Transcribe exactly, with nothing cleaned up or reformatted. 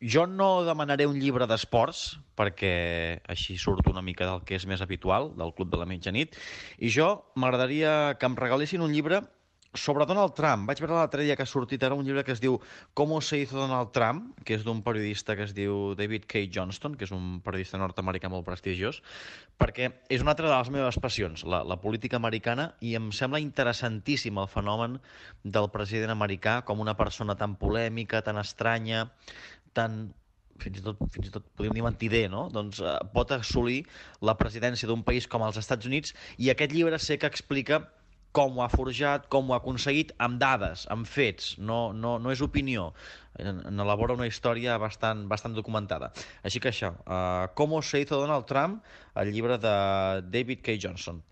Jo no demanaré un llibre d'esports, perquè així surt una mica del que és més habitual, del Club de la Mitjanit, i jo m'agradaria que em regalessin un llibre sobre Donald Trump. Vaig veure l'altre dia que ha sortit ara un llibre que es diu Cómo se hizo Donald Trump, que és d'un periodista que es diu David K. Johnston, que és un periodista nord-americà molt prestigiós, perquè és una altra de les meves passions, la, la política americana, i em sembla interessantíssim el fenomen del president americà com una persona tan polèmica, tan estranya, tan fins i tot, fins i tot podríem dir mentider, no? Doncs eh, pot assolir la presidència d'un país com els Estats Units, i aquest llibre sé que explica com ho ha forjat, com ho ha aconseguit, amb dades, amb fets, no, no, no és opinió. En, en elabora una història bastant, bastant documentada. Així que això, uh, Cómo se hizo Donald Trump, el llibre de David K. Johnson.